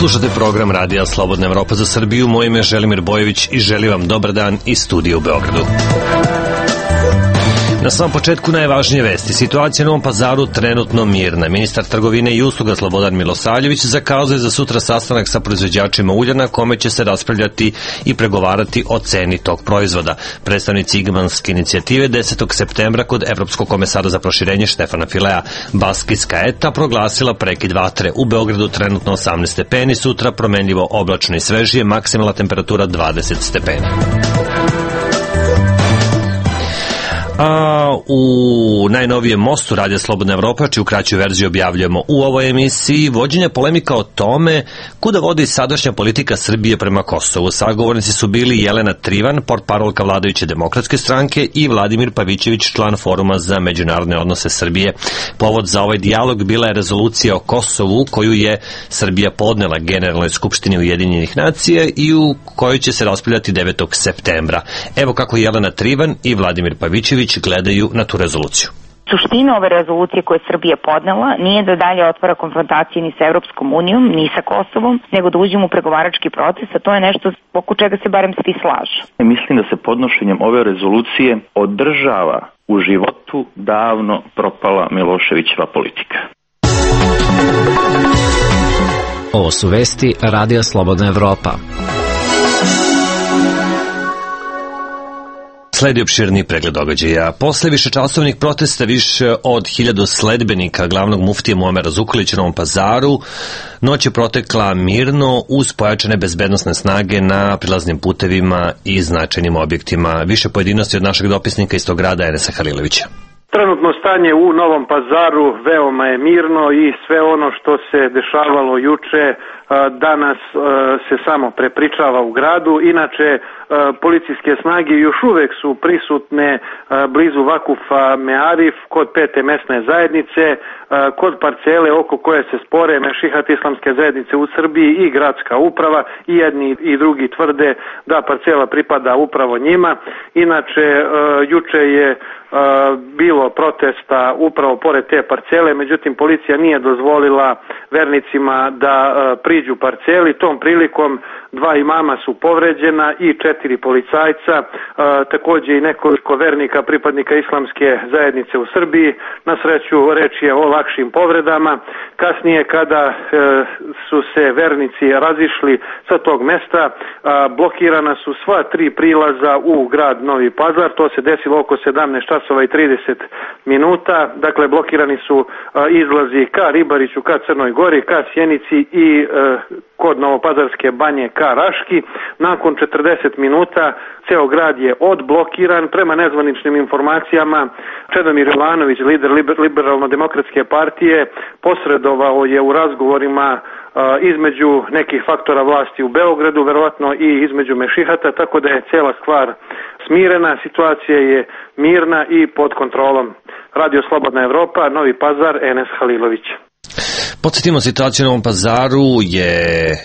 Slušate program Radija Slobodna Evropa za Srbiju. Moje ime je Želimir Bojević i želim vam dobar dan iz studija u Beogradu. Na samom početku najvažnije vesti. Situacija u Novom Pazaru trenutno mirna. Ministar trgovine i usluga Slobodan Milosavljević zakazuje za sutra sastanak sa proizvođačima ulja na kome će se raspravljati i pregovarati o ceni tog proizvoda. Predstavnici Igmanske inicijative 10. septembra kod Evropskog komesara za proširenje Štefana Filea. Baskijska ETA proglasila prekid vatre. U Beogradu trenutno 18 stepeni, sutra promenljivo oblačno i svežije, maksimalna temperatura 20 stepeni. A u najnovijem mostu Radija Slobodna Evropa, čiju kraću verziju objavljujemo u ovoj emisiji, vođenja polemika o tome kuda vodi sadašnja politika Srbije prema Kosovu. Sagovornici su bili Jelena Trivan, portparolka vladajuće demokratske stranke, i Vladimir Pavićević, član Foruma za međunarodne odnose Srbije. Povod za ovaj dijalog bila je rezolucija o Kosovu koju je Srbija podnela Generalnoj skupštini Ujedinjenih nacija i u kojoj će se raspravljati 9. septembra. Evo kako Jelena Trivan i Vladimir Pavićević gledaju na tu rezoluciju. Suština ove rezolucije koje je Srbija podnela nije da dalje otvara konfrontacije ni sa Evropskom unijom, ni sa Kosovom, nego da uđemo u pregovarački proces, a to je nešto oko čega se barem svi slažu. Mislim da se podnošenjem ove rezolucije održava u životu davno propala Miloševićeva politika. Ovo su vesti Radija Slobodna Evropa. Sledi opširni pregled događaja. Posle višečasovnih protesta više od 1000 sledbenika glavnog muftije Muamera Zukorlića u Novom Pazaru noć je protekla mirno uz pojačane bezbednosne snage na prilaznim putevima i značajnim objektima. Više pojedinosti od našeg dopisnika iz tog grada Enesa Halilovića. Trenutno stanje u Novom Pazaru veoma je mirno i sve ono što se dešavalo juče danas se samo prepričava u gradu. Inače, policijske snage još uvek su prisutne blizu Vakufa Mearif kod 5. mesne zajednice, kod parcele oko koje se spore Mešihat islamske zajednice u Srbiji i gradska uprava, i jedni i drugi tvrde da parcela pripada upravo njima. Inače, juče je bilo protesta upravo pored te parcele, međutim policija nije dozvolila vernicima da priđu parceli. Tom prilikom 2 imama su povređena i 4 policajca, takođe i nekoliko vernika pripadnika islamske zajednice u Srbiji. Na sreću reč je o lakšim povredama. Kasnije kada su se vernici razišli sa tog mesta, blokirana su sva 3 prilaza u grad Novi Pazar. To se desilo oko 17 časova i 30 minuta. Dakle, blokirani su izlazi ka Ribariću, ka Crnoj Gori, ka Sjenici i kod Novopazarske banje ka Raški. Nakon 40 minuta ceo grad je odblokiran. Prema nezvaničnim informacijama, Čedomir Jovanović, lider Liberalno-demokratske partije, posredovao je u razgovorima između nekih faktora vlasti u Beogradu, verovatno i između Mešihata, tako da je cela stvar smirena, situacija je mirna i pod kontrolom. Radio Slobodna Evropa, Novi Pazar, Enes Halilović. Podsjetimo, situacija u Novom Pazaru je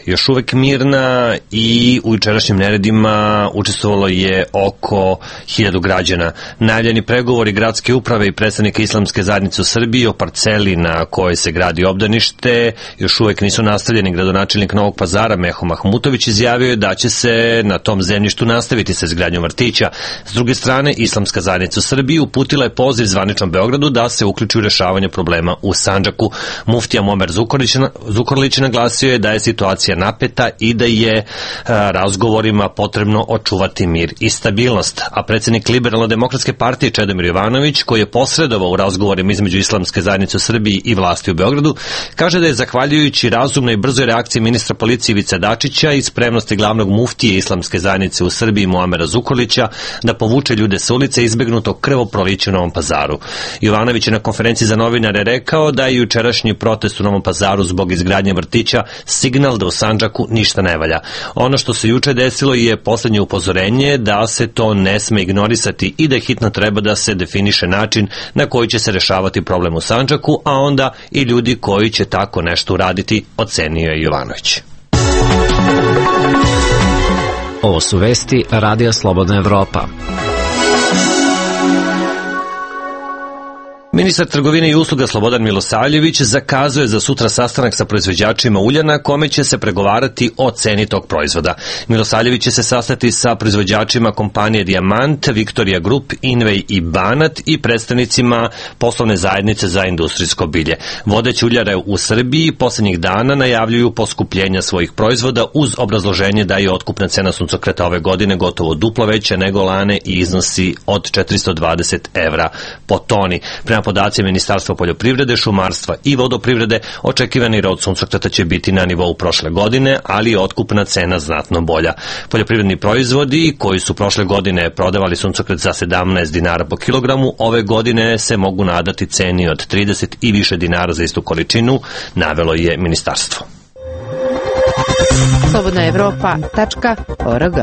još uvek mirna i u jučerašnjim neredima učestvovalo je oko 1000 građana. Najavljeni pregovori gradske uprave i predstavnika islamske zajednice u Srbiji o parceli na kojoj se gradi obdanište još uvek nisu nastavljeni. Gradonačelnik Novog Pazara Meho Mahmutović izjavio je da će se na tom zemljištu nastaviti sa izgradnjom vrtića. S druge strane, islamska zajednica u Srbiji uputila je poziv zvaničnom Beogradu da se uključi u rešavanje problema u Sandžaku. Muftija Muamer Zukorlić naglasio je da je situacija napeta i da je razgovorima potrebno očuvati mir i stabilnost. A predsjednik Liberalno-demokratske partije Čedomir Jovanović, koji je posredovao u razgovorima između islamske zajednice u Srbiji i vlasti u Beogradu, kaže da je zahvaljujući razumnoj i brzoj reakciji ministra policije Ivice Dačića i spremnosti glavnog muftije islamske zajednice u Srbiji Muamera Zukorlića da povuče ljude sa ulice izbegnutog krvoprolića u Novom Pazaru. Jovanović je na konferenciji za novinare rekao da je jučerašnji protest u Novom Pazaru zbog izgradnje vrtića signal da u Sandžaku ništa ne valja. Ono što se juče desilo je poslednje upozorenje da se to ne sme ignorisati i da hitno treba da se definiše način na koji će se rešavati problem u Sandžaku, a onda i ljudi koji će tako nešto uraditi, ocenio je Jovanović. Ovo su vesti Radija Slobodna Evropa. Ministar trgovine i usluga Slobodan Milosavljević zakazuje za sutra sastanak sa proizvođačima ulja na kome će se pregovarati o ceni tog proizvoda. Milosavljević će se sastati sa proizvođačima kompanije Dijamant, Victoria Group, Invej i Banat i predstavnicima poslovne zajednice za industrijsko bilje. Vodeće uljare u Srbiji poslednjih dana najavljuju poskupljenja svojih proizvoda uz obrazloženje da je otkupna cena suncokreta ove godine gotovo duplo veća nego lane i iznosi od 420 evra po toni. Prema podacima Ministarstva poljoprivrede, šumarstva i vodoprivrede, očekivani rod suncokreta će biti na nivou prošle godine, ali je otkupna cena znatno bolja. Poljoprivredni proizvodi koji su prošle godine prodavali suncokret za 17 dinara po kilogramu, ove godine se mogu nadati ceni od 30 i više dinara za istu količinu, navelo je ministarstvo. slobodnaevropa.org.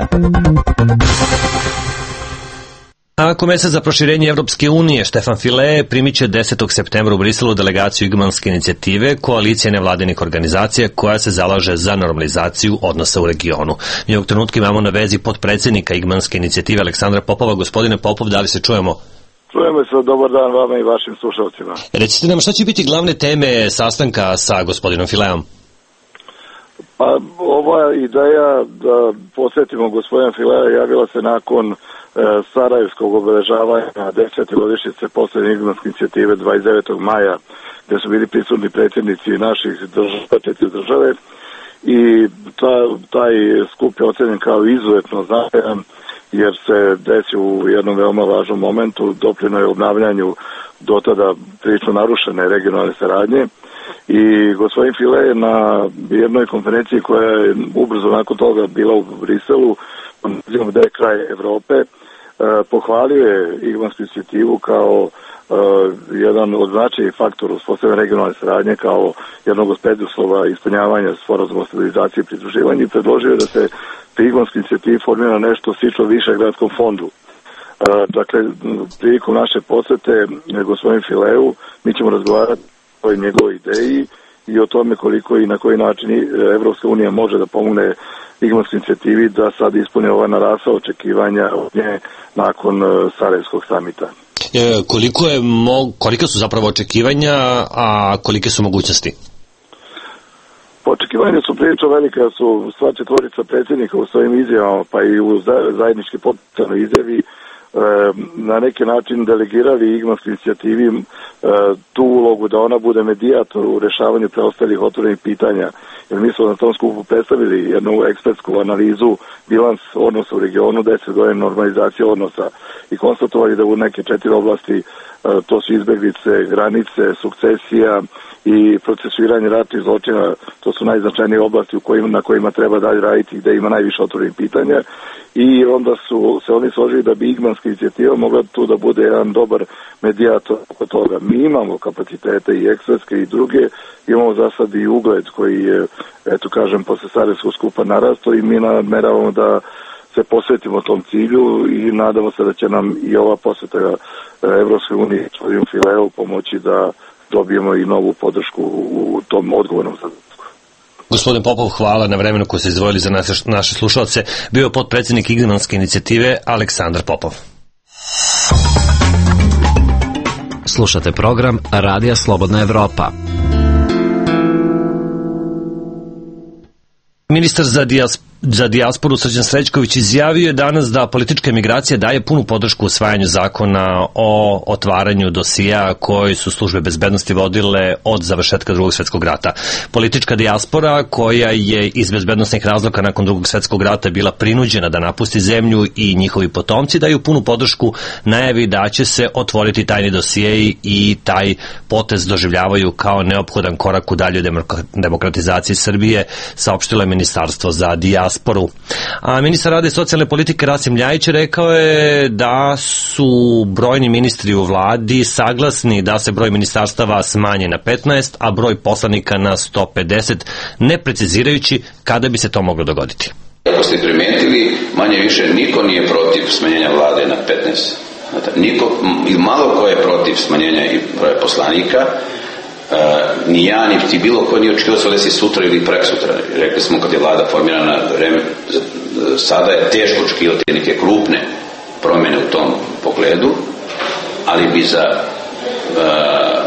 A komesar za proširenje Evropske unije Štefan File primiće 10. septembra u Briselu delegaciju Igmanske inicijative, koalicije nevladinih organizacija koja se zalaže za normalizaciju odnosa u regionu. Mi ovog trenutka imamo na vezi potpredsednika Igmanske inicijative Aleksandra Popova. Gospodine Popov, da li se čujemo? Čujemo se, dobar dan vama i vašim slušalcima. Recite nam šta će biti glavne teme sastanka sa gospodinom Fileom? Pa ova ideja da posjetimo gospodina Filea javila se nakon sarajevskog obeležavanja 10. godišnjice poslednje Igmanske inicijative 29. maja, gde su bili prisutni predsjednici naših države i taj skup je ocenjen kao izuzetno značajan jer se desi u jednom veoma važnom momentu, doprineo je obnavljanju do tada prilično narušene regionalne saradnje. I gospodin File je na jednoj konferenciji koja je ubrzo nakon toga bila u Briselu, gde je kraj Evrope, pohvalio je Igmansku inicijativu kao jedan od značajnih faktora uspostavljanja regionalne saradnje kao jednog od preduslova ispunjavanja sporazuma o stabilizaciji i pridruživanju i predložio je da se pri Igmanskoj inicijativi formira nešto slično Višegradskom fondu. Dakle, prilikom naše posete gospodin Fileu mi ćemo razgovarati o njegovoj ideji i o tome koliko i na koji način Evropska unija može da pomogne Igmanskoj inicijativi da sad ispuni ova narasla očekivanja od nje nakon Sarajevskog samita. Kolika su zapravo očekivanja, a kolike su mogućnosti? Očekivanja su prilično velike, da su sva četvorica predsjednika u svojim izjavama, pa i u zajednički potpisanoj izjavi na neki način delegirali Igmanskoj inicijativi tu ulogu da ona bude medijator u rešavanju preostalih otvorenih pitanja. Jer mi smo na tom skupu predstavili jednu ekspertsku analizu bilans odnosa u regionu, 10 godina normalizacije odnosa i konstatovali da u neke 4 oblasti, to su izbeglice, granice, sukcesija i procesuiranje ratnih zločina, to su najznačajnije oblasti na kojima treba dalje raditi, gde ima najviše otvorenih pitanja i onda su se oni složili da bi Igmanska inicijativa mogla tu da bude jedan dobar medijator oko toga. Mi imamo kapacitete i ekspertske i druge, imamo za sad i ugled koji je, eto kažem, posle Sarajevskog skupa narasto i mi nameravamo da se posvetimo tom cilju i nadamo se da će nam i ova posveta Evropske unije i gospodinu Fileu pomoći da dobijemo i novu podršku u tom odgovornom zadatku. Gospodin Popov, hvala na vremenu koje ste izdvojili za naše slušalce. Bio je potpredsjednik Igmanske inicijative Aleksandar Popov. Slušate program Radija Slobodna Evropa. Ministar za dijasporu Srđan Srećković izjavio je danas da politička emigracija daje punu podršku usvajanju zakona o otvaranju dosija koji su službe bezbednosti vodile od završetka Drugog svjetskog rata. Politička dijaspora koja je iz bezbednostnih razloga nakon Drugog svjetskog rata bila prinuđena da napusti zemlju i njihovi potomci daju punu podršku najavi da će se otvoriti tajni dosijeji i taj potez doživljavaju kao neophodan korak u daljoj demokratizaciji Srbije, saopštilo je Ministarstvo za dijasporu. A ministar rada i socijalne politike Rasim Ljajić rekao je da su brojni ministri u vladi saglasni da se broj ministarstava smanji na 15, a broj poslanika na 150, ne precizirajući kada bi se to moglo dogoditi. Ako ste primetili, manje više niko nije protiv smanjenja vlade na 15. Niko, malo ko je protiv smanjenja i broja poslanika, ni ja, ni ti bilo ko nije očekivao se desi sutra ili preksutra. Rekli smo kad je vlada formirana vreme, sada je teško očekivati neke krupne promjene u tom pogledu, ali bi za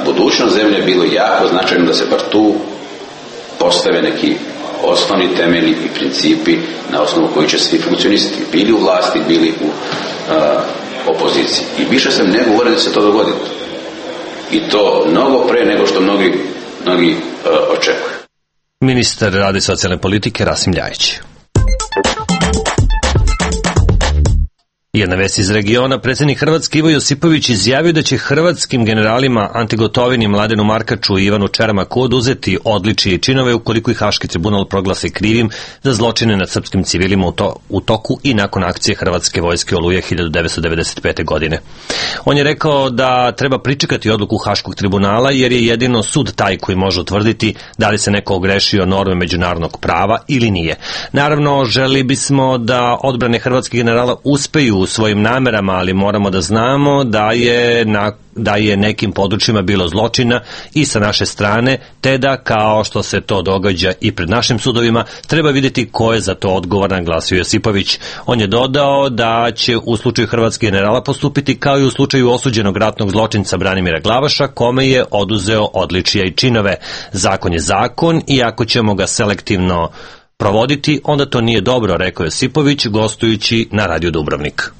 budućnost zemlje bilo jako značajno da se bar tu postave neki osnovni temelji i principi na osnovu koji će svi funkcionisati, bili u vlasti, bili u opoziciji. I više sam ne govorio da se to dogodi. I to mnogo pre nego što mnogi očekuju. Ministar rada i socijalne politike Rasim Ljajić. Jedna vest iz regiona, predsjednik Hrvatske Ivo Josipović izjavio da će hrvatskim generalima Anti Gotovini, Mladenu Markaču i Ivanu Čermaku oduzeti odličije i činove ukoliko ih Haški tribunal proglasi krivim za zločine nad srpskim civilima u toku i nakon akcije Hrvatske vojske Oluja 1995. godine. On je rekao da treba pričekati odluku Haškog tribunala jer je jedino sud taj koji može utvrditi da li se neko ogrešio norme međunarodnog prava ili nije. Naravno, želi bismo da odbrane hrvatskih generala uspeju u svojim namerama, ali moramo da znamo da je nekim područjima bilo zločina i sa naše strane, te da, kao što se to događa i pred našim sudovima, treba vidjeti ko je za to odgovoran, glasio Josipović. On je dodao da će u slučaju hrvatskih generala postupiti kao i u slučaju osuđenog ratnog zločinca Branimira Glavaša, kome je oduzeo odličija i činove. Zakon je zakon i ako ćemo ga selektivno provoditi, onda to nije dobro, rekao Josipović gostujući na Radio Dubrovnik.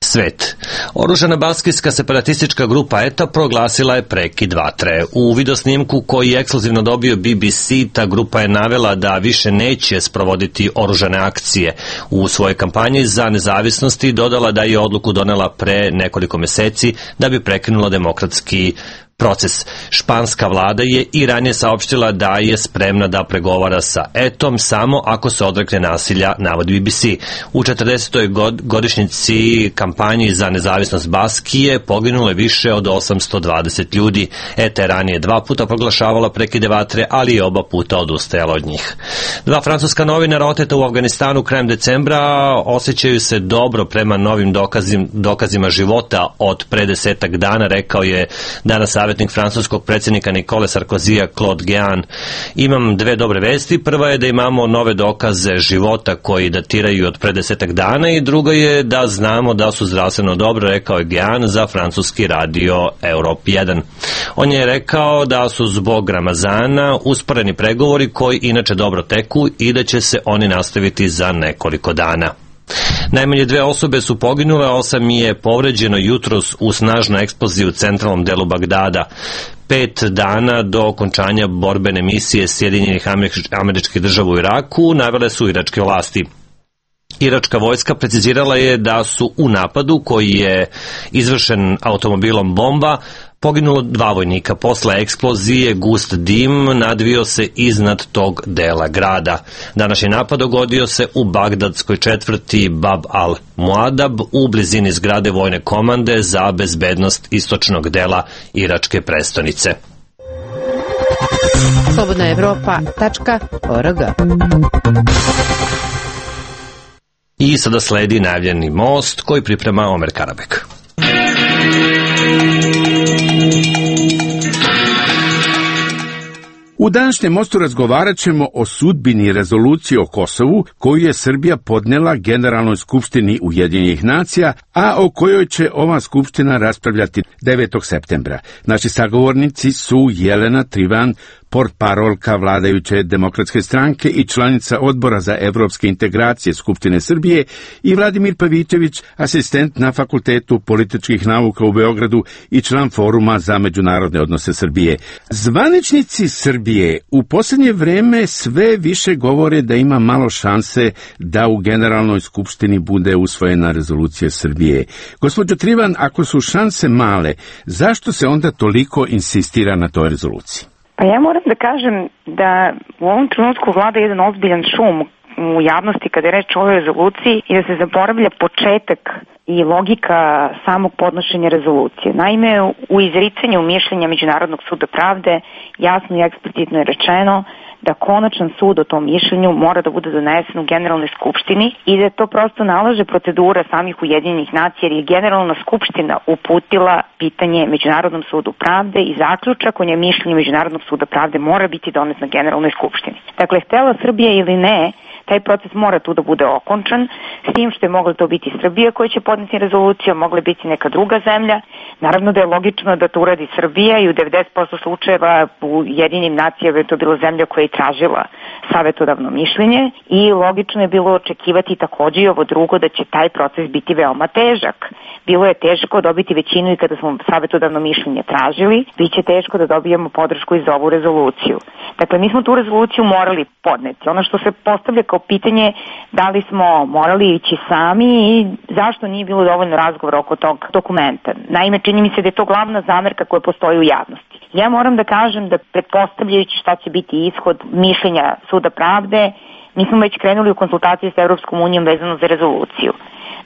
Svet. Oružana baskijska separatistička grupa ETA proglasila je prekid vatre. U videosnimku koji je ekskluzivno dobio BBC, ta grupa je navela da više neće sprovoditi oružane akcije. U svojoj kampanji za nezavisnosti dodala da je odluku donela pre nekoliko meseci da bi prekinula demokratski proces. Španska vlada je i ranije saopštila da je spremna da pregovara sa ETA-om samo ako se odrekne nasilja, navodi BBC. U 40. godišnjici kampanji za nezavisnost Baskije poginulo je više od 820 ljudi. ETA je ranije 2 puta proglašavala prekide vatre, ali je oba puta odustajala od njih. 2 francuska novinara oteta u Afganistanu krajem decembra osjećaju se dobro prema novim dokazima života od pre 10 dana, rekao je danas savjetnik francuskog predsjednika Nikole Sarkozija Claude Guéant. Imam 2 dobre vesti. Prva je da imamo nove dokaze života koji datiraju od pre 10 dana i druga je da znamo da su zdravstveno dobro, rekao je Guéant za francuski radio Europe 1. On je rekao da su zbog Ramazana usporeni pregovori koji inače dobro teku i da će se oni nastaviti za nekoliko dana. Najmanje 2 osobe su poginule, 8 je povređeno jutros u snažnoj eksploziji u centralnom delu Bagdada. 5 dana do okončanja borbene misije Sjedinjenih Američkih Država u Iraku navele su iračke vlasti. Iračka vojska precizirala je da su u napadu koji je izvršen automobilom bomba poginulo 2 vojnika. Posle eksplozije gust dim nadvio se iznad tog dela grada. Današnji napad dogodio se u bagdadskoj četvrti Bab al-Muadab u blizini zgrade vojne komande za bezbednost istočnog dela iračke prestonice. slobodnaevropa.org. I sada sledi najavljeni most koji priprema Omer Karabek. U današnjem mostu razgovarat ćemo o sudbini rezolucije o Kosovu koju je Srbija podnela Generalnoj skupštini Ujedinjenih nacija, a o kojoj će ova skupština raspravljati 9. septembra. Naši sagovornici su Jelena Trivan, portparolka vladajuće demokratske stranke i članica odbora za evropske integracije Skupštine Srbije, i Vladimir Pavićević, asistent na Fakultetu političkih nauka u Beogradu i član Foruma za međunarodne odnose Srbije. Zvaničnici Srbije u posljednje vreme sve više govore da ima malo šanse da u Generalnoj skupštini bude usvojena rezolucija Srbije. Gospođo Trivan, ako su šanse male, zašto se onda toliko insistira na toj rezoluciji? Pa ja moram da kažem da u ovom trenutku vlada jedan ozbiljan šum u javnosti kada je reč o ovoj rezoluciji i da se zaboravlja početak i logika samog podnošenja rezolucije. Naime, u izricanju mišljenja Međunarodnog suda pravde jasno i eksplicitno je rečeno da konačan sud o tom mišljenju mora da bude donesen u Generalnoj skupštini i da to prosto nalaže procedura samih Ujedinjenih nacija, jer je Generalna skupština uputila pitanje Međunarodnom sudu pravde i zaključak o nje mišljenju Međunarodnog suda pravde mora biti donet na Generalnoj skupštini. Dakle, htela Srbija ili ne, Taj proces mora tu da bude okončan, s tim što je mogla to biti Srbija koja će podneti rezoluciju, mogla biti neka druga zemlja. Naravno da je logično da to uradi Srbija i u 90% slučajeva u Jedinim nacijama je to bila zemlja koja je tražila savetodavno mišljenje i logično je bilo očekivati takođe i ovo drugo da će taj proces biti veoma težak. Bilo je teško dobiti većinu i kada smo savetodavno mišljenje tražili, biće teško da dobijemo podršku i za ovu rezoluciju. Dakle, mi smo tu rezoluciju morali podneti. Ono što se postavlja kao pitanje da li smo morali ići sami i zašto nije bilo dovoljno razgovora oko tog dokumenta. Naime, čini mi se da je to glavna zamerka koja postoji u javnosti. Ja moram da kažem da pretpostavljajući šta će biti ishod mišljenja Suda pravde, mi smo već krenuli u konsultacije sa Evropskom unijom vezano za rezoluciju.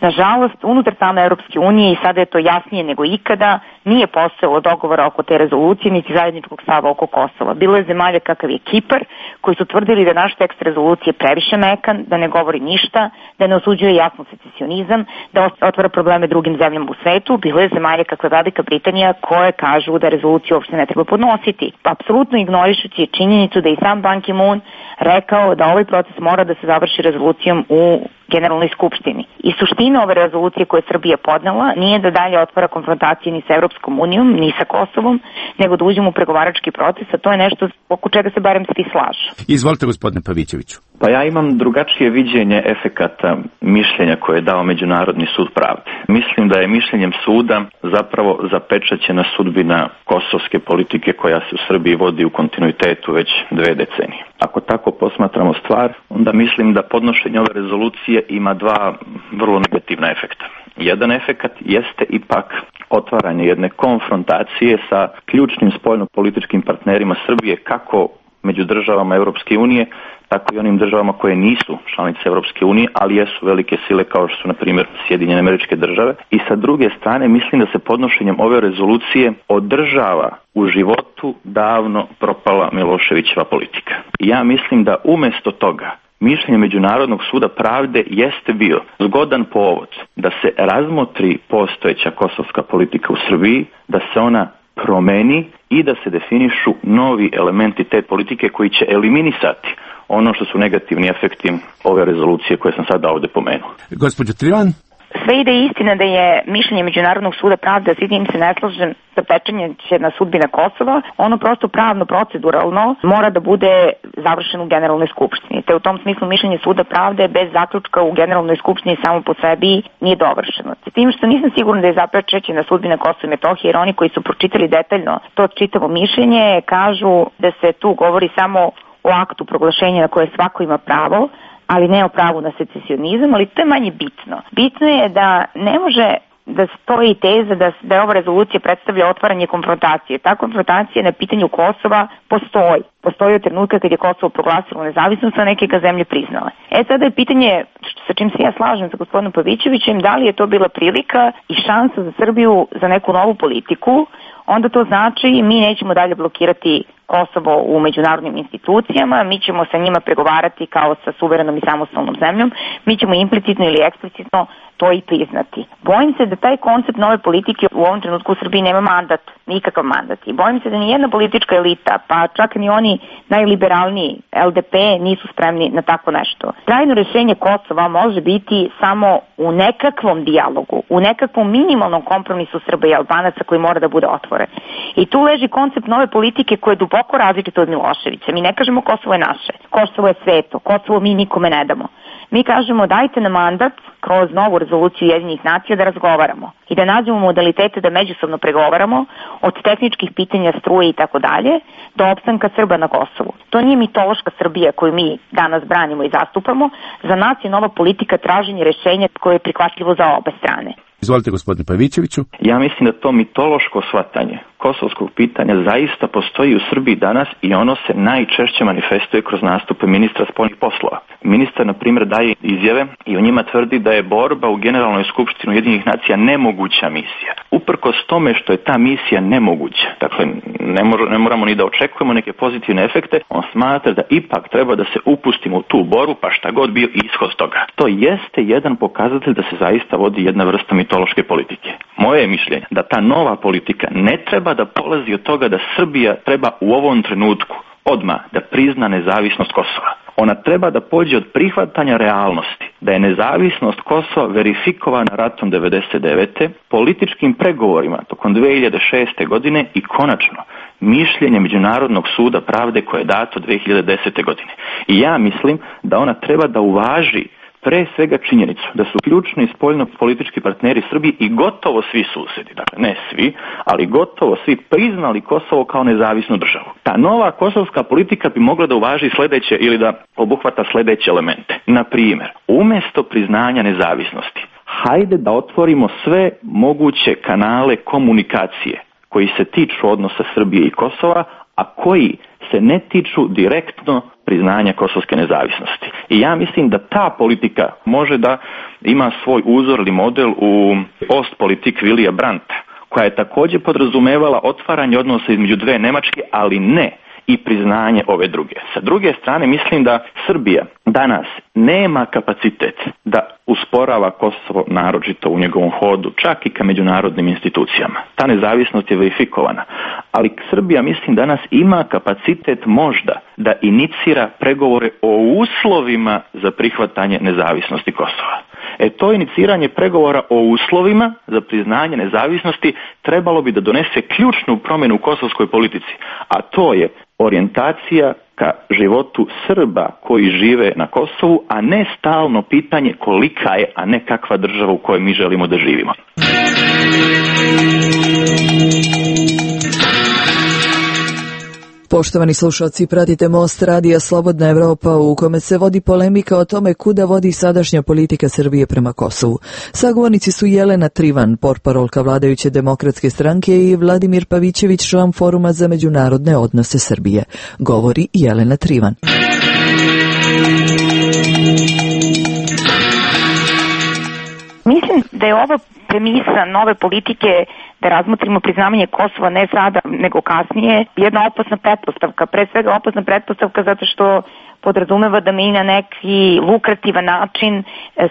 Nažalost, unutar same Evropske unije i sada je to jasnije nego ikada, nije postojalo dogovora oko te rezolucije, niti zajedničkog stava oko Kosova. Bilo je zemalja kakav je Kipar, koji su tvrdili da naš tekst rezolucije previše mekan, da ne govori ništa, da ne osuđuje jasno secesionizam, da otvara probleme drugim zemljama u svetu. Bilo je zemalja kakva je Velika Britanija koje kažu da rezoluciju uopšte ne treba podnositi. Apsolutno ignorišući činjenicu da i sam Ban Ki-moon rekao da ovaj proces mora da se završi rezolucijom u Generalnoj skupštini. I suština ove rezolucije koje je Srbija podnela nije da dalje otvara konfrontacije ni sa Evropskom unijom, ni sa Kosovom, nego da uđemo u pregovarački proces, a to je nešto oko čega se barem svi slažu. Izvolite, gospodine Pavićeviću. Pa ja imam drugačije viđenje efekata mišljenja koje je dao Međunarodni sud pravde. Mislim da je mišljenjem suda zapravo zapečaćena sudbina kosovske politike koja se u Srbiji vodi u kontinuitetu već 2 decenije. Ako tako posmatramo stvar, onda mislim da podnošenje ove rezolucije ima 2 vrlo negativna efekta. Jedan efekat jeste ipak otvaranje jedne konfrontacije sa ključnim spoljno-političkim partnerima Srbije, kako među državama Europske unije, tako i onim državama koje nisu članice Europske unije, ali jesu velike sile kao što su, na primjer, Sjedinjene Američke Države. I sa druge strane, mislim da se podnošenjem ove rezolucije održava u životu davno propala Miloševićeva politika. I ja mislim da umjesto toga mišljenje Međunarodnog suda pravde jeste bio zgodan povod da se razmotri postojeća kosovska politika u Srbiji, da se ona promeni i da se definišu novi elementi te politike koji će eliminisati ono što su negativni efekti ove rezolucije koje sam sada ovdje pomenuo. Gospođo Trivan? Sve ide istina da je mišljenje Međunarodnog suda pravde, a s tim se ne slažem, zapečenje će na sudbina Kosova, ono prosto pravno, proceduralno mora da bude završeno u Generalnoj skupštini. Te u tom smislu mišljenje suda pravde bez zaključka u Generalnoj skupštini samo po sebi nije dovršeno. S tim što nisam sigurna da je zapečećena sudbina Kosova i Metohije, jer oni koji su pročitali detaljno to čitavo mišljenje kažu da se tu govori samo o aktu proglašenja na koje svako ima pravo, ali ne o pravu na secesionizam, ali to je manje bitno. Bitno je da ne može da stoji teza da je ova rezolucija predstavlja otvaranje konfrontacije. Ta konfrontacija na pitanju Kosova postoji. Postoji od trenutka kad je Kosovo proglasilo nezavisnost, a neke ga zemlje priznale. Sada je pitanje, sa čim se ja slažem sa gospodinom Pavićevićem, da li je to bila prilika i šansa za Srbiju za neku novu politiku, onda to znači mi nećemo dalje blokirati Kosovo u međunarodnim institucijama, mi ćemo sa njima pregovarati kao sa suverenom i samostalnom zemljom, mi ćemo implicitno ili eksplicitno to i priznati. Bojim se da taj koncept nove politike u ovom trenutku u Srbiji nema mandat, nikakav mandat. I bojim se da ni jedna politička elita, pa čak ni oni najliberalniji LDP nisu spremni na tako nešto. Trajno rješenje Kosova može biti samo u nekakvom dijalogu, u nekakvom minimalnom kompromisu Srba i Albanaca koji mora da bude otvoren. I tu leži koncept nove politike koja je duboko različita od Miloševića. Mi ne kažemo Kosovo je naše, Kosovo je sveto, Kosovo mi nikome ne damo. Mi kažemo dajte nam mandat kroz novu rezoluciju Ujedinjenih nacija da razgovaramo i da nađemo modalitete da međusobno pregovaramo od tehničkih pitanja struje i tako dalje do opstanka Srba na Kosovu. To nije mitološka Srbija koju mi danas branimo i zastupamo. Za nas je nova politika traženje rješenja koje je prihvatljivo za obe strane. Izvolite, gospodine Pavićeviću. Ja mislim da to mitološko shvatanje kosovskog pitanja zaista postoji u Srbiji danas i ono se najčešće manifestuje kroz nastupe ministra spoljnih poslova. Ministar, na primjer, daje izjave i u njima tvrdi da je borba u Generalnoj skupštini Ujedinjenih nacija nemoguća misija. Uprkos tome što je ta misija nemoguća, dakle ne moramo ni da očekujemo neke pozitivne efekte, on smatra da ipak treba da se upustimo u tu borbu, pa šta god bio ishod toga. To jeste jedan pokazatelj da se zaista vodi jedna vrsta mitološke politike. Moje je mišljenje da ta nova politika ne treba da polazi od toga da Srbija treba u ovom trenutku odmah da prizna nezavisnost Kosova. Ona treba da pođe od prihvatanja realnosti, da je nezavisnost Kosova verifikovana ratom 1999. političkim pregovorima tokom 2006. godine i konačno mišljenje Međunarodnog suda pravde koje je dato 2010. godine. I ja mislim da ona treba da uvaži pre svega činjenicu da su ključni spoljno-politički partneri Srbiji i gotovo svi susedi, dakle ne svi, ali gotovo svi priznali Kosovo kao nezavisnu državu. Ta nova kosovska politika bi mogla da uvaži sledeće ili da obuhvata sledeće elemente. Na primjer, umjesto priznanja nezavisnosti, hajde da otvorimo sve moguće kanale komunikacije koji se tiču odnosa Srbije i Kosova, a koji se ne tiču direktno priznanja kosovske nezavisnosti. I ja mislim da ta politika može da ima svoj uzor ili model u Ostpolitik Vilija Brandta, koja je također podrazumevala otvaranje odnosa između dve Nemačke, ali ne i priznanje ove druge. Sa druge strane, mislim da Srbija danas nema kapacitet da usporava Kosovo naročito u njegovom hodu, čak i ka međunarodnim institucijama. Ta nezavisnost je verifikovana. Ali Srbija, mislim, danas ima kapacitet možda da inicira pregovore o uslovima za prihvatanje nezavisnosti Kosova. To iniciranje pregovora o uslovima za priznanje nezavisnosti trebalo bi da donese ključnu promjenu u kosovskoj politici, a to je orijentacija ka životu Srba koji žive na Kosovu, a ne stalno pitanje kolika je, a ne kakva država u kojoj mi želimo da živimo. Poštovani slušalci, pratite Most radija Slobodna Evropa u kome se vodi polemika o tome kuda vodi sadašnja politika Srbije prema Kosovu. Sagovornici su Jelena Trivan, portparolka vladajuće demokratske stranke, i Vladimir Pavićević, član Foruma za međunarodne odnose Srbije. Govori Jelena Trivan. Mislim da je ovo premisa nove politike da razmotrimo priznavanje Kosova ne sada nego kasnije jedna opasna pretpostavka. Pre svega opasna pretpostavka zato što podrazumeva da mi na neki lukrativan način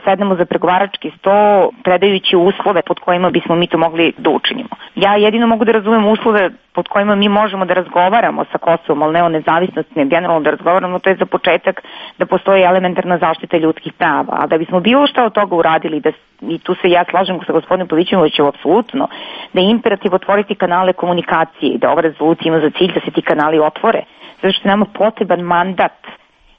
sednemo za pregovarački sto predajući uslove pod kojima bismo mi to mogli da učinimo. Ja jedino mogu da razumem uslove pod kojima mi možemo da razgovaramo sa Kosovom, ali ne o nezavisnosti, ne generalno da razgovaramo, to je za početak da postoji elementarna zaštita ljudskih prava. A da bismo bilo šta od toga uradili, i tu se ja slažem sa gospodinom Pavićevićem apsolutno, da je imperativ otvoriti kanale komunikacije i da ova rezolucija ima za cilj da se ti kanali otvore, zato što nama potreban mandat.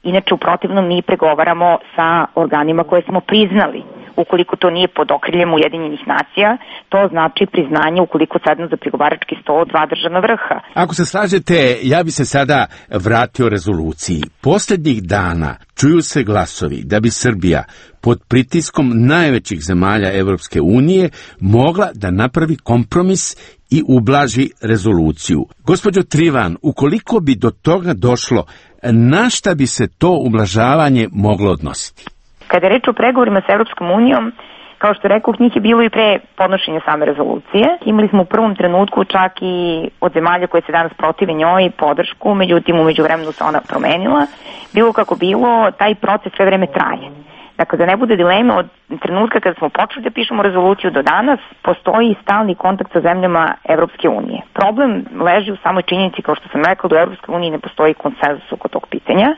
Inače, u protivnom mi pregovaramo sa organima koje smo priznali. Ukoliko to nije pod okriljem Ujedinjenih nacija, to znači priznanje ukoliko sednu za pregovarački sto dva državna vrha. Ako se slažete, ja bi se sada vratio rezoluciji. Posljednjih dana čuju se glasovi da bi Srbija pod pritiskom najvećih zemalja Evropske unije mogla da napravi kompromis i ublaži rezoluciju. Gospođo Trivan, ukoliko bi do toga došlo, na šta bi se to ublažavanje moglo odnositi? Kada je reč o pregovorima sa Evropskom unijom, kao što rekao, njih je bilo i pre podnošenja same rezolucije. Imali smo u prvom trenutku čak i od zemalja koje se danas protive njoj podršku, međutim u međuvremenu se ona promenila. Bilo kako bilo, taj proces sve vreme traje. Dakle, da ne bude dileme, od trenutka kada smo počeli da pišemo rezoluciju do danas, postoji stalni kontakt sa zemljama Evropske unije. Problem leži u samoj činjenici, kao što sam rekla, da u Evropskoj uniji ne postoji konsenzus oko tog pitanja.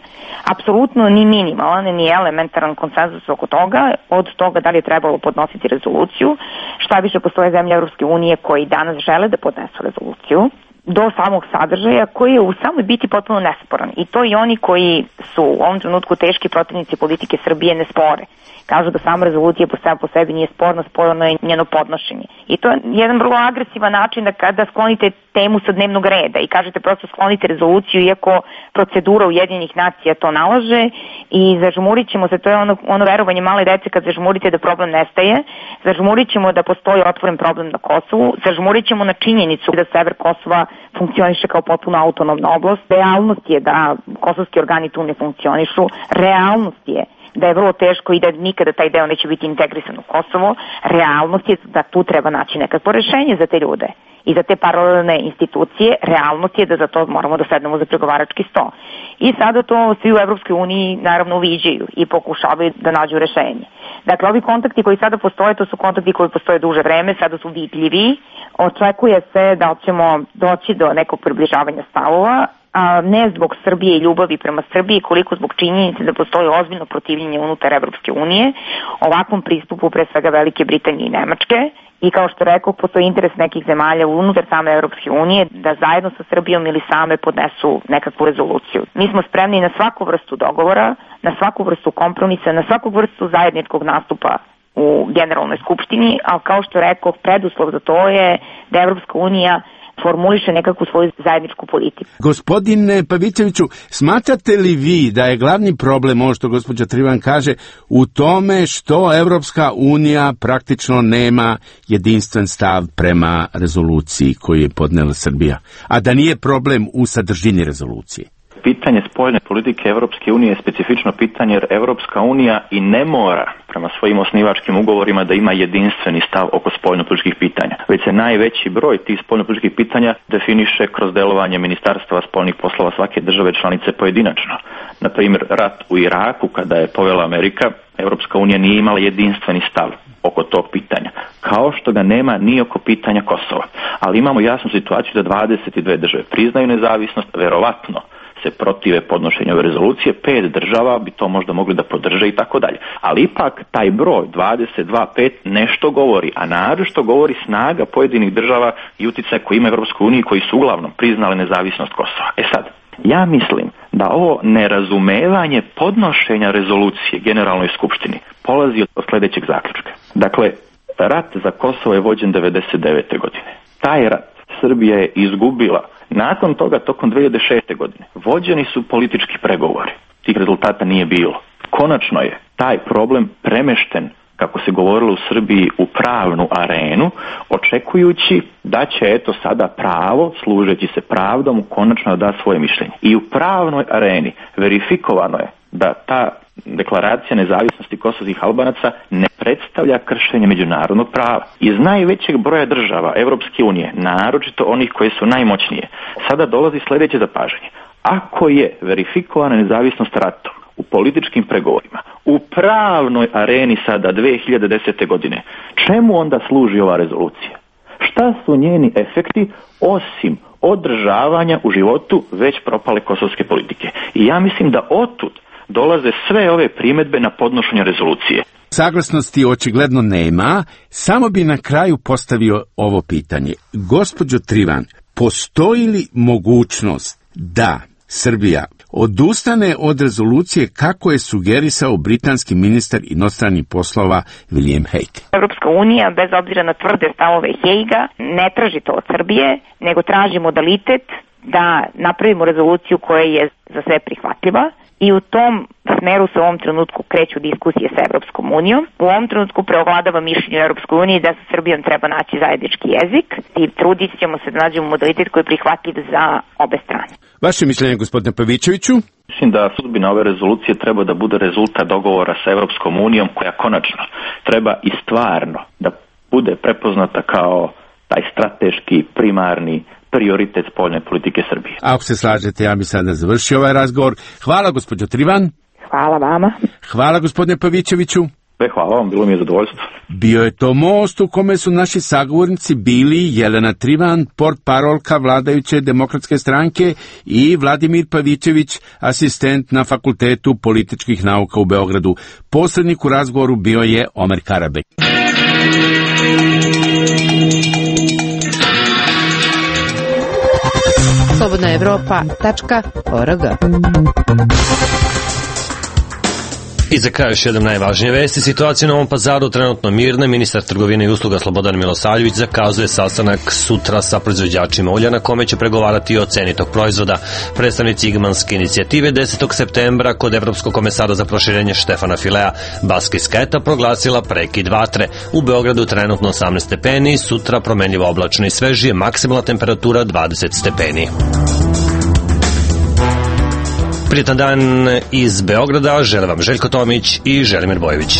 Apsolutno ni minimalan, ni elementaran konsenzus oko toga, od toga da li je trebalo podnositi rezoluciju, šta više postoje zemlje Evropske unije koji danas žele da podnesu rezoluciju, do samog sadržaja koji je u samoj biti potpuno nesporan. I to i oni koji su u ovom trenutku teški protivnici politike Srbije ne spore. Kažu da sama rezolucija po sebi nije sporna, sporno je njeno podnošenje. I to je jedan vrlo agresivan način da sklonite temu sa dnevnog reda i kažete prosto sklonite rezoluciju iako procedura Ujedinjenih nacija to nalaže i zažmurit ćemo se, to je ono verovanje male dece kad zažmurite da problem nestaje, zažmurit ćemo da postoji otvoren problem na Kosovu, zažmurit ćemo na činjenicu da sever Kosova funkcioniše kao potpuno autonomna oblast, realnost je da kosovski organi tu ne funkcionišu, realnost je da je vrlo teško i da nikada taj deo neće biti integrisan u Kosovo, realnost je da tu treba naći nekakvo rešenje za te ljude i za te paralelne institucije, realnost je da za to moramo da sednemo za pregovarački sto. I sada to svi u Evropskoj uniji naravno uviđaju i pokušavaju da nađu rešenje. Dakle, ovi kontakti koji sada postoje, to su kontakti koji postoje duže vreme, sada su vidljivi, očekuje se da ćemo doći do nekog približavanja stavova, a ne zbog Srbije i ljubavi prema Srbiji, koliko zbog činjenice da postoji ozbiljno protivljenje unutar Evropske unije, ovakvom pristupu pre svega Velike Britanije i Nemačke. I kao što rekao, postoji interes nekih zemalja unutar same Evropske unije da zajedno sa Srbijom ili same podnesu nekakvu rezoluciju. Mi smo spremni na svaku vrstu dogovora, na svaku vrstu kompromisa, na svaku vrstu zajedničkog nastupa u Generalnoj skupštini, ali kao što rekao, preduslov za to je da Evropska unija formuliše nekakvu svoju zajedničku politiku. Gospodine Pavićeviću, smatrate li vi da je glavni problem, ovo što gospođa Trivan kaže, u tome što Evropska unija praktično nema jedinstven stav prema rezoluciji koju je podnela Srbija, a da nije problem u sadržini rezolucije? Pitanje spoljne politike Evropske unije je specifično pitanje jer Evropska unija i ne mora prema svojim osnivačkim ugovorima da ima jedinstveni stav oko spoljnopolitičkih pitanja. Već se najveći broj tih spoljnopolitičkih pitanja definiše kroz delovanje Ministarstva spoljnih poslova svake države članice pojedinačno. Na primjer, rat u Iraku kada je povela Amerika, Evropska unija nije imala jedinstveni stav oko tog pitanja, kao što ga nema ni oko pitanja Kosova. Ali imamo jasnu situaciju da 22 države priznaju nezavisnost, verovatno se protive podnošenju ove rezolucije, 5 država bi to možda mogli da podrže i tako dalje. Ali ipak taj broj 22-5 nešto govori, a naročito govori snaga pojedinih država i utjecaj koji ima Evropskoj uniji koji su uglavnom priznale nezavisnost Kosova. Sad, ja mislim da ovo nerazumevanje podnošenja rezolucije Generalnoj skupštini polazi od sljedećeg zaključka. Dakle, rat za Kosovo je vođen 99. godine. Taj rat Srbija je izgubila. Nakon toga, tokom 2006. godine, vođeni su politički pregovori. Tih rezultata nije bilo. Konačno je taj problem premešten, kako se govorilo u Srbiji, u pravnu arenu, očekujući da će eto sada pravo, služeći se pravdom, konačno da svoje mišljenje. I u pravnoj areni verifikovano je da ta deklaracija nezavisnosti kosovskih Albanaca ne predstavlja kršenje međunarodnog prava. Iz najvećeg broja država Evropske unije, naročito onih koje su najmoćnije, sada dolazi sljedeće zapažanje. Ako je verifikovana nezavisnost ratom u političkim pregovorima, u pravnoj areni sada 2010. godine, čemu onda služi ova rezolucija? Šta su njeni efekti osim održavanja u životu već propale kosovske politike? I ja mislim da otud dolaze sve ove primjedbe na podnošenje rezolucije. Saglasnosti očigledno nema, samo bi na kraju postavio ovo pitanje. Gospođo Trivan, postoji li mogućnost da Srbija odustane od rezolucije kako je sugerisao britanski ministar inostranih poslova William Hague? Evropska unija, bez obzira na tvrde stavove Hagea, ne traži to od Srbije, nego traži modalitet da napravimo rezoluciju koja je za sve prihvatljiva. I u tom smeru se u ovom trenutku kreću diskusije sa Evropskom unijom. U ovom trenutku preovladava mišljenje u Evropskoj uniji da sa Srbijom treba naći zajednički jezik i trudit ćemo se da nađemo modalitet koji je prihvatljiv za obe strane. Vaše mišljenje, gospodine Pavićeviću? Mislim da sudbina ove rezolucije treba da bude rezultat dogovora sa Evropskom unijom koja konačno treba i stvarno da bude prepoznata kao taj strateški, primarni prioritet spoljne politike Srbije. Ako se slažete, ja bi sada završio ovaj razgovor. Hvala, gospođo Trivan. Hvala vama. Hvala, gospodine Pavićeviću. Hvala vam, bilo mi je zadovoljstvo. Bio je to most u kome su naši sagovornici bili Jelena Trivan, portparolka vladajuće demokratske stranke, i Vladimir Pavićević, asistent na Fakultetu političkih nauka u Beogradu. Posrednik u razgovoru bio je Omer Karabek. slobodnaevropa.org. I za kraj još jedan najvažnije vesti. Situacija u Novom Pazaru trenutno mirna. Ministar trgovine i usluga Slobodan Milosavljević zakazuje sastanak sutra sa proizvođačima ulja na kome će pregovarati o ceni tog proizvoda. Predstavnici Igmanske inicijative 10. septembra kod Evropskog komesara za proširenje Štefana Filea Baski Sketa proglasila prekid vatre. U Beogradu trenutno 18 stepeni, sutra promenljivo oblačno i svežije, maksimalna temperatura 20 stepeni. Prijetan dan iz Beograda žele vam Željko Tomić i Želimir Bojević.